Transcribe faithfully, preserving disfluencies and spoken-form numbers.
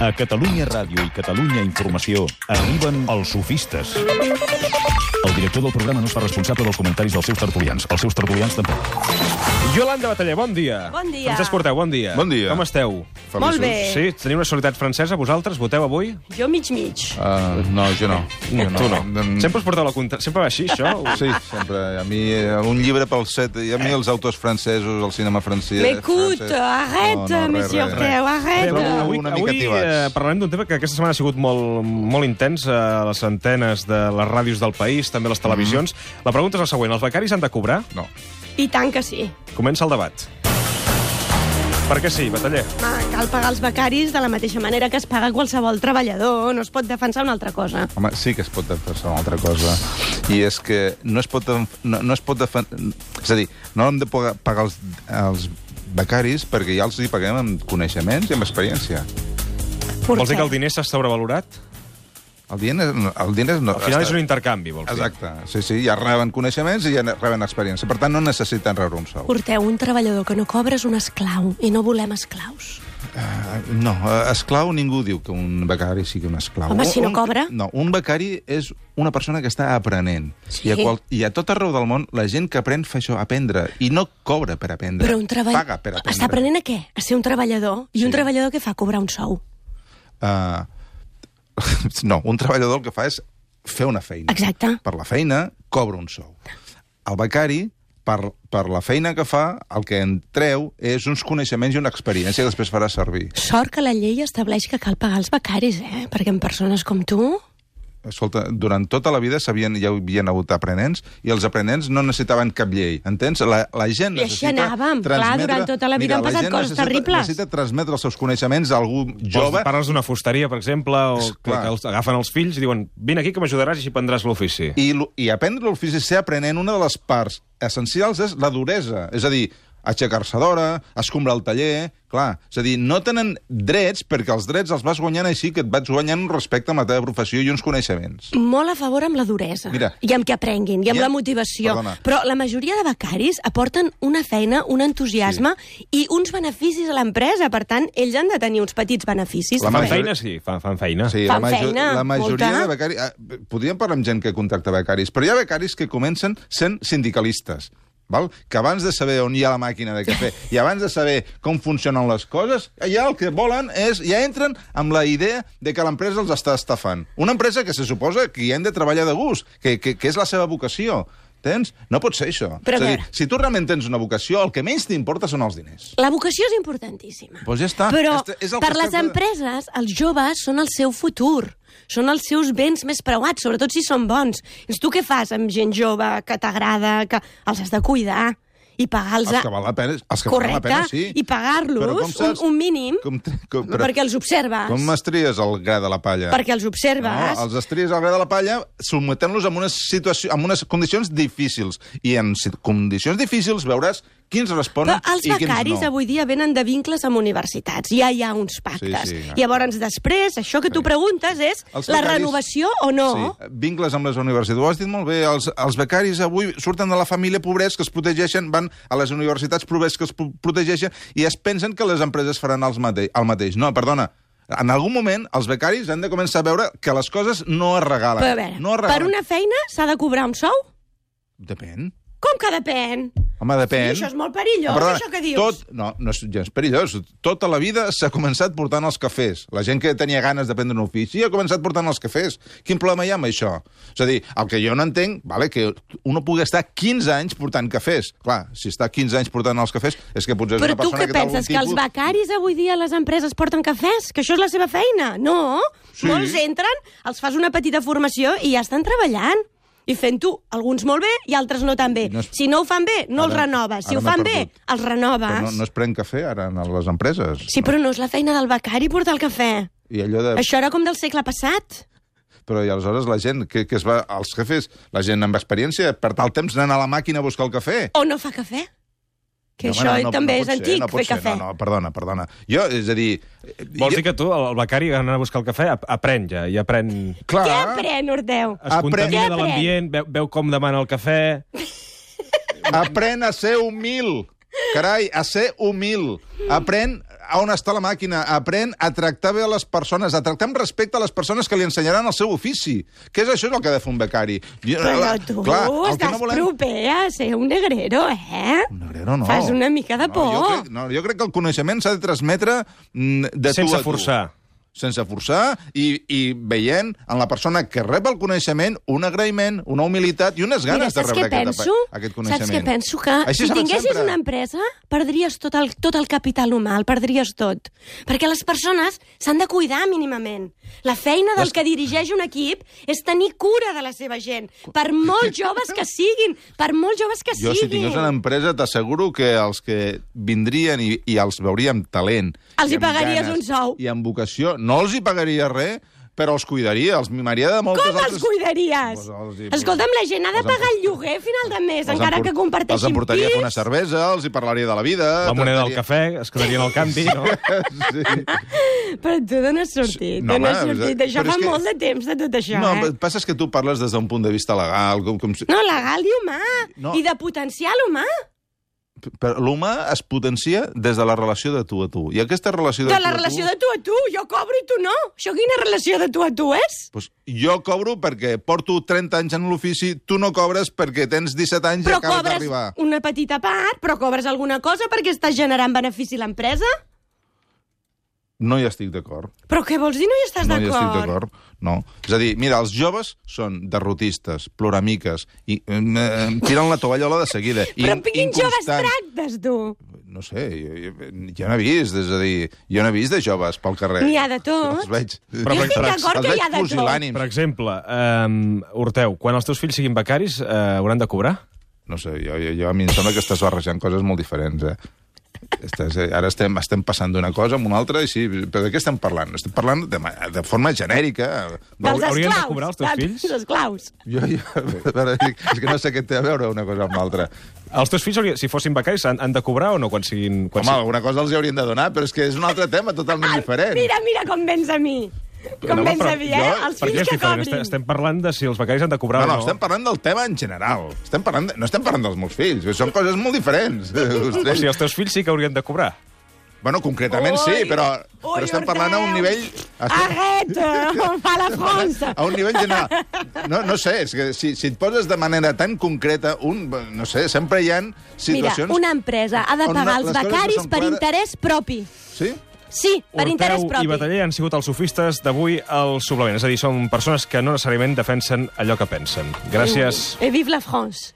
A Catalunya Ràdio i Catalunya Informació arriben els sofistes. El director del programa no es fa responsable dels comentaris dels seus tertulians. Els seus tertulians tampoc. Yolanda Bataller, bon dia. Bon dia. Francesc Porteu, bon dia. Bon dia. Com esteu? Feliços. Molt bé. Sí? Teniu una solidaritat francesa, vosaltres? Voteu avui? Jo mig-mig. Uh, no, jo no. No, Jo tu no. Mm. Sempre us porteu la contra... Sempre va així, això? Sí, sempre. A mi, eh, un llibre pel set... I a mi els autors francesos, el cinema francès... M'écoute, francès... arrête, No, no, res, monsieur res, Orteu, Bé, arrête. avui, Trobo avui, una mica avui tibats. eh, parlarem d'un tema que aquesta setmana ha sigut molt, molt intens a les antenes de les ràdios del país, també a les televisions. Mm. La pregunta és la següent. Els becaris han de cobrar? No. I tant que sí. Comença el debat. Per què sí, Bataller? Home, cal pagar els becaris de la mateixa manera que es paga qualsevol treballador. No es pot defensar una altra cosa. Home, sí que es pot defensar una altra cosa. I és que no es pot... No, no es pot defensar... És a dir, no hem de pagar els, els becaris perquè ja els hi paguem amb coneixements i amb experiència. Vols dir que el diner s'ha sobrevalorat? El diner, el diner no... Al final és un intercanvi, vols dir? Exacte. Sí, sí, ja reben coneixements i ja reben experiència. Per tant, no necessiten rebre un sou. Porteu un treballador que no cobra és un esclau, i no volem esclaus. Uh, no, uh, esclau ningú diu que un becari sigui un esclau. Home, si no un, cobra? No, un becari és una persona que està aprenent. Sí. I, a qual, I a tot arreu del món, la gent que aprèn fa això, aprendre. I no cobra per aprendre. Però un treball... Paga per aprendre. Està aprenent a què? A ser un treballador. I Sí. un treballador que fa? Cobrar un sou. Uh, no, un treballador el que fa és fer una feina. Exacte. Per la feina, cobra un sou. El becari, per, per la feina que fa, el que en treu és uns coneixements i una experiència que després farà servir. Sort que la llei estableix que cal pagar els becaris, eh? Perquè amb persones com tu... Escolta, durant tota la vida sabien, ja hi havia hagut aprenents i els aprenents no necessitaven cap llei, entens? La, la gent I així necessita anàvem. Clar, transmetre... durant tota la vida han la passat gent coses necessita, terribles. Necessita transmetre els seus coneixements a algú Jove. jove. Parles d'una fusteria, per exemple, o És que, clar. que els agafen els fills i diuen vine aquí que m'ajudaràs i així prendràs l'ofici. I, lo- I aprendre l'ofici, ser aprenent, una de les parts essencials és la duresa. És a dir, aixecar-se d'hora, escombrar el taller... Clar, és a dir, no tenen drets perquè els drets els vas guanyant així, que et vas guanyant un respecte a la teva professió i uns coneixements. Molt a favor amb la duresa. Mira. I amb que aprenguin, i amb I la amb- motivació. Perdona. Però la majoria de becaris aporten una feina, un entusiasme sí. i uns beneficis a l'empresa. Per tant, ells han de tenir uns petits beneficis. La Fan major- feina, sí, fan, fan feina. Sí, Fan la, major, feina, la majoria molta. de becaris... Ah, podríem parlar amb gent que contacta becaris, però hi ha becaris que comencen sent sindicalistes, val? Que abans de saber on hi ha la màquina de cafè i abans de saber com funcionen les coses, ja el que volen és... Ja entren amb la idea de que l'empresa els està estafant. Una empresa que se suposa que hi han de treballar de gust, que, que, que és la seva vocació. Tens? No pot ser això. Però és a a dir, veure. si tu realment tens una vocació, el que menys t'importa són els diners. La vocació és importantíssima. Doncs ja està. Però Este- és el per que les està- empreses, els joves són el seu futur. Són els seus béns més preuats, sobretot si són bons. Doncs tu què fas amb gent jove que t'agrada, que els has de cuidar i pagar-los... Els que val la pena, els que Correcte, val la pena, sí. i pagar-los Però com un, saps- un mínim Com, com, perquè els observes. Com estries el gra de la palla? Perquè els observes. No, els estries al gra de la palla sometent-los en unes, situació, en unes condicions difícils. I en si- condicions difícils veuràs quins responen Però els i quins becaris no. avui dia venen de vincles amb universitats. Ja hi ha uns pactes. Sí, sí, ja. Llavors, després, això que tu Sí. preguntes és Els la becaris- renovació o no. Sí, vincles amb les universitats. Ho has dit molt bé. Els, els becaris avui surten de la família pobrets que es protegeixen, van a les universitats pobrets que es pro- protegeixen i es pensen que les empreses faran els mate el mateix. No, perdona. En algun moment, els becaris han de començar a veure que les coses no es regalen. Però a veure, no es per regalen. una feina s'ha de cobrar un sou? Depèn. Com que depèn? Home, depèn. Sí, això és molt perillós, Perdona, això que dius. Tot, no, no és gens perillós. Tota la vida s'ha començat portant els cafès. La gent que tenia ganes d'aprendre un ofici ha començat portant els cafès. Quin problema hi ha amb això? És a dir, el que jo no entenc, vale, que uno pugui estar quinze anys portant cafès. Clar, si està quinze anys portant els cafès, és que potser és Però una tu persona què que té algun penses, que els tipus... becaris avui dia a les empreses porten cafès? Que això és la seva feina? No. Sí. Molts entren, els fas una petita formació i ja estan treballant. I fent-ho, alguns molt bé i altres no tan bé. No és- Si no ho fan bé, no els Ara- renoves. Si ara ho m'he fan bé, perdut. els renoves. Però no, no es pren cafè ara en les empreses. Sí, però no és la feina del becari portar el cafè. I allò de... Això era com del segle passat. Però i aleshores la gent que, que es va... Els jefes, la gent amb experiència, per tal temps anant a la màquina a buscar el cafè. O no fa cafè. Que No, això home, no, no, també no és pot ser, antic, no pot fer ser. cafè. No, no, perdona, perdona. Jo, és a dir... Vols jo... dir que tu, el becari, anant a buscar el cafè, ap- aprèn ja, i aprèn... Clar, Què aprèn, Ordeu? Es Aprèn. contamina Què de aprèn? l'ambient, veu, veu com demana el cafè... aprèn a ser humil. Carai, a ser humil. Aprèn on està la màquina, aprèn a tractar bé a les persones, a tractar amb respecte a les persones que li ensenyaran el seu ofici. Què és això? És el que ha de fer un becari. Però tu Clar, el que estàs no volem... proper a ser un negrero, eh? Un negrero no. Fas una mica de por. No, jo, crec, no, jo crec que el coneixement s'ha de transmetre mm, de Sense tu a tu. forçar. Sense forçar i, i veient en la persona que rep el coneixement un agraïment, una humilitat i unes ganes Mira, de rebre aquest, penso? aquest coneixement. Saps què penso? Que Així si s'ha fet tinguessis sempre. una empresa, perdries tot el, tot el capital humà, el perdries tot. Perquè les persones s'han de cuidar mínimament. La feina del Les... que dirigeix un equip és tenir cura de la seva gent, per molt joves que siguin, per molt joves que Jo, si siguin. tingués una empresa, t'asseguro que els que vindrien i, i els veuríem talent... Els i hi amb pagaries ganes un sou. I amb vocació. No els hi pagaria res, però els cuidaria, els mimaria de moltes Com altres... els cuidaries? Pues els hi- Escolta'm, la gent ha de els pagar el empor- lloguer a final de mes, Els encara empor- que comparteixin Els emportaria a fer una pis. cervesa, els hi parlaria de la vida... La moneda del tractaria- cafè, es quedarien al canvi, no? Sí. Però tu d'on has sortit? No, No, no has home, sortit? però Això és fa que- molt de temps de tot això, No, eh? el que passa és que tu parles des d'un punt de vista legal, com, com si... No, legal i humà. No. I de potencial humà. Però l'humà es potencia des de la relació de tu a tu. I aquesta relació de, De tu la a relació tu... de tu a tu. Jo cobro i tu no. Això quina relació de tu a tu és? Pues jo cobro perquè porto trenta anys en l'ofici, tu no cobres perquè tens disset anys Però i acabes cobres d'arribar. una petita part, però cobres alguna cosa perquè estàs generant benefici a l'empresa? No hi estic d'acord. Però què vols dir no hi estàs No hi estic d'acord? d'acord. No. És a dir, mira, els joves són derrotistes, ploramiques, i eh, eh, tiren la tovallola de seguida. Però amb quins joves inconstants. tractes, tu? No sé, jo, jo, jo no he vist, és a dir, jo no he vist de joves pel carrer. N'hi ha de tots. Els veig... Però Jo estic per- d'acord els que veig hi ha de tot. pusil·lànims. Per exemple, um, Horteu, quan els teus fills siguin becaris, uh, hauran de cobrar? No sé, jo, jo, jo a mi em sembla que estàs barrejant coses molt diferents, eh? Estàs, eh, ara estem, estem passant d'una cosa a una altra, i sí, però de què estem parlant? Estem parlant de, ma- de forma genèrica. Dels Haurien de esclaus. cobrar els teus dels fills? esclaus. Jo, jo, a veure, és que no sé què té a veure una cosa amb l'altra. Els teus fills, haurien- si fossin becaris, han, han de cobrar o no quan siguin... Quan Home, alguna cosa els hi haurien de donar, però és que és un altre tema totalment diferent. Mira, mira com vens a mi. Com No, vens però a mi, eh? jo- Els Per què fills és que diferent? cobrin. Estem, estem parlant de si els becaris han de cobrar No, no, o no. estem parlant del tema en general. Estem parlant de, no estem parlant dels meus fills, són coses molt diferents. O sigui, els teus fills sí que haurien de cobrar. Bueno, concretament sí, Ui, però, ui, però estem parlant a un Horteu. nivell... Estem, Arrête, on fa la France. a un nivell general. No, no sé, és que si, si et poses de manera tan concreta, un, no sé, sempre hi ha Mira, situacions... una empresa ha de on pagar les els coses no becaris són per clares. interès propi. Sí? Sí, per interès Horteu propi. i Bataller han sigut els sofistes d'avui al suplement. És a dir, són persones que no necessàriament defensen allò que pensen. Gràcies. Et vive la France.